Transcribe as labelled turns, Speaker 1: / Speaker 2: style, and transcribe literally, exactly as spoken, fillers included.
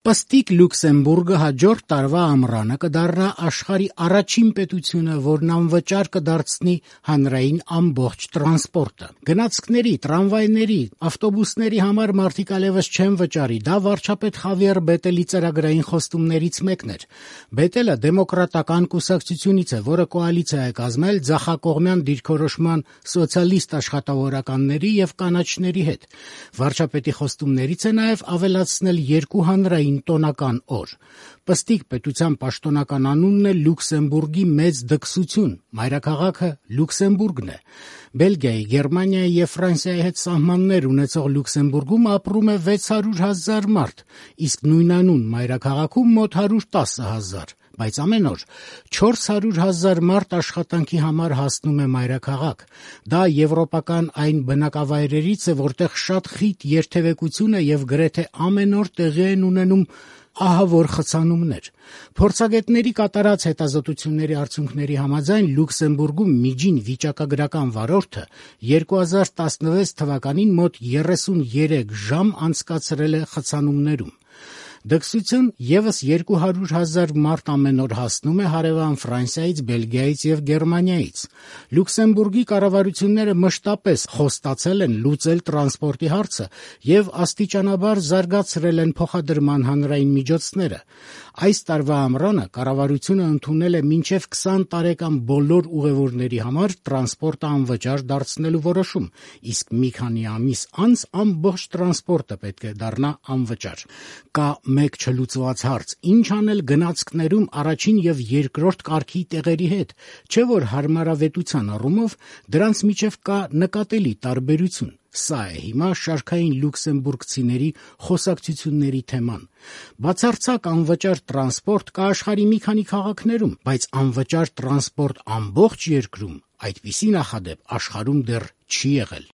Speaker 1: Պստիկ Լյուքսեմբուրգը հաջորդ տարվա ամռանը կդառնա աշխարհի առաջին պետությունը, որն անվճար կդարձնի հանրային ամբողջ տրանսպորտը։ Գնացքների, տրամվայների, ավտոբուսների համար մարդիկ այլևս չեն վճարի։ Դա վարչապետ Խավիեր Բետելի ծրագրային խոստումներից մեկն էր։ Բետելը դեմոկրատական կուսակցությունից է, որը կոալիցիա է կազմել ձախակողմյան դիրքորոշման սոցիալիստ աշխատավորականների եւ կանաչների հետ։ Վարչապետի խոստումներից է նաեւ ավելացնել երկու հանրային տոնական օր։ Պստիկ պետության պաշտոնական անունն է Լյուքսեմբուրգի մեծ դքսություն, մայրաքաղաքը Լյուքսեմբուրգն է։ Բելգիայի, Գերմանիայի եւ Ֆրանսիայի հետ սահմաններ ունեցող Լյուքսեմբուրգում ապրում է վեց հարյուր հազար մարդ, իսկ նույնանուն մայրաքաղաքում մոտ հարյուր տասը հազար, բայց ամեն օր չորս հարյուր հազար մարդ աշխատանքի համար հասնում է մայրաքաղաք։ Դա եվրոպական այն բնակավայրերից է, որտեղ շատ խիտ երթևեկություն է եւ գրեթե ամեն օր տեղի են ունենում ահավոր խցանումներ։ Փորձագետների կատարած հետազոտությունների արդյունքների համաձայն Լյուքսեմբուրգում միջին վիճակագրական վարորդը երկու հազար տասնվեց թվականին մոտ երեսունյերեք ժամ անցկացրել է խցանումներում։ Դքսություն եւս երկու հարյուր հազար մարդ ամեն օր հասնում է հարևան Ֆրանսիայից, Բելգիայից եւ Գերմանիայից։ Լյուքսեմբուրգի կառավարությունները մշտապես խոստացել են լուծել տրանսպորտի հարցը եւ աստիճանաբար զարգացրել են փոխադրման հանրային միջոցները։ Այս տարվա ամռանը կառավարությունը ընդունել է մինչեւ քսան տարեկան բոլոր ուղևորների համար տրանսպորտը անվճար դարձնելու որոշում, իսկ մի քանի ամիս անց ամբողջ տրանսպորտը պետք է դառնա անվճար։ Կա մեկ չլուծված հարց. ինչ անել գնացքներում առաջին եւ երկրորդ կարգի տեղերի հետ, չէ՞ որ հարմարավետության առումով դրանց միջև կա նկատելի տարբերություն։ Սա է հիմա շարքային լյուքսեմբուրգցիների խոսակցությունների թեման։ Բացարձակ անվճար տրանսպորտ կա աշխարհի մի քանի քաղաքներում, բայց անվճար տրանսպորտ ամբողջ երկրում այդպիսի նախադեպ աշխարհում դեռ չի եղել։